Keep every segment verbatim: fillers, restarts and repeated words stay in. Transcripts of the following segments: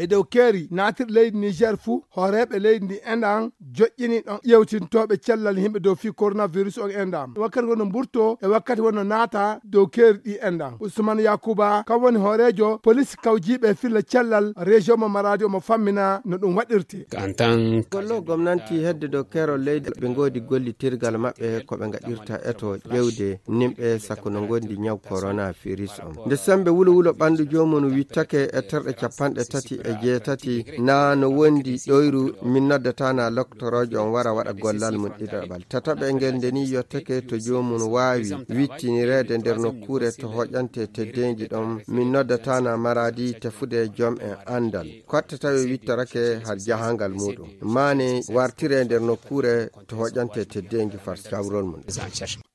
Dow keeri naatirɗi leydi Niger fuu, hooreeɓe leydi ndi enɗan joƴƴini ɗon ƴeewtintooɓe cellal yimɓe dow fii coronavirus on enɗan. Wakkati wonno mburto e wakkati wonno naata dow keeri ɗi enɗan. Usman Yakuba, kam woni hooreejo polis kawjiiɓe filla cellal région mo Maradi, omo fammina no ɗum waɗirte. En tant que Gollo gomnanti hedde dow keerol leydi, ɓe ngoodi gollitirgal maɓɓe ko ɓe ngaɗirta eto ƴeewde nimɓe sakko no ngondi ñaw coronavirus on. Nde sembe wulo wulo ɓandu joomum wittake e terɗe capanɗe tati e jeetati, na no wondi ɗoyru min noddatana loktoroojo on wara waɗa gollal mum ɗiɗaɓal. Tataɓe ngel nde ni yottake to joomum waawi wittinireede nder nokkuure to hoƴante teddeenji ɗon min noddatana Maradi tefude joom en andal. Kotte tawi wittorake har jahangal muɗum. Mane wartire nder nokkuure to hoƴante teddeenji far cawrol mum.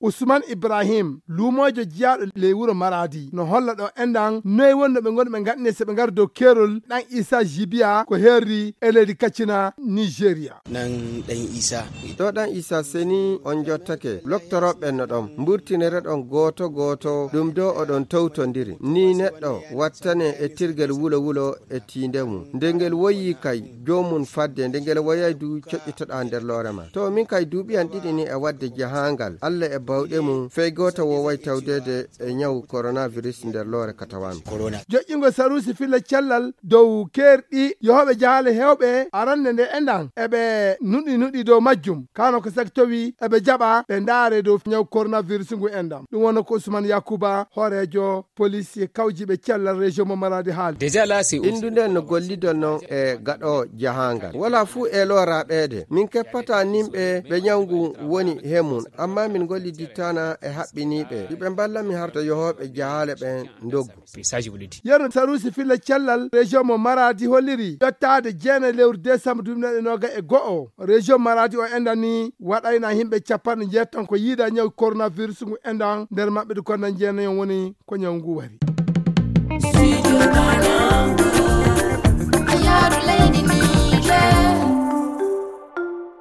Usman Ibrahim, luumoojo jiyaaɗo ley wuro Maradi, no holla ɗo enɗan noy wonno ɓe ngoni ɓe ngaɗni so ɓe ngari dow keerol ɗan Isa Jibiya ko herri e leydi Katsina, Nigeria. Nan ɗan Isa. Ɗo ɗan Isa seni on jottake. Loktorooɓe no ɗon mburtinere ɗon gooto gooto ɗum do oɗon tawtondiri. Ni neɗɗo wattane e tirgel wulo wulo e tiinde mum. Nde ngel woyi kay, joomum fadde, nde ngel woyay du coƴƴitoɗaa nder loore ma. To min kay duuɓi an ɗiɗi ni e waɗde jahaangal, Allah e bawɗe mum, fey gooto wooway tawdeede e ñaw coronavirus nder loore katawaami. Joƴƴingol saruusi filla cellal dow keerɗi yohooɓe jahaale heewɓe arande nde enɗan eɓe nuɗi nuɗi dow majjum. Kano ko saki towi eɓe jaɓa ɓe ndaare dow ñaw coronavirus ngu enɗan. Ɗum wonno ko Usman Yakuba, hooreejo polis e kawjiiɓe cellal région mo Maradi haali. Déjà là, c'est Indu nden no gollidol non e gaɗo jahangal. Wala fuu e lora ɓeede. Min keppata nimɓe ɓe ñawngu woni he mum. Amma min gollidittana e haɓɓiniiɓe. Iɓe mballa mi harta yohooɓe jahaale ɓen ndoggu. Message ɓulidi. Yeru saruusi filla cellal région mo Maradi holliri ƴettaade jeenay lewru décembre duuɓi ɗiɗi e noga e go'o. Région Maradi o enɗan ni waɗayna yimɓe capanɗe njeetati ko yiida ñaw coronavirus ngu enɗan nder maɓɓe ɗi konnan jeenay on woni ko ñaw ngu wari.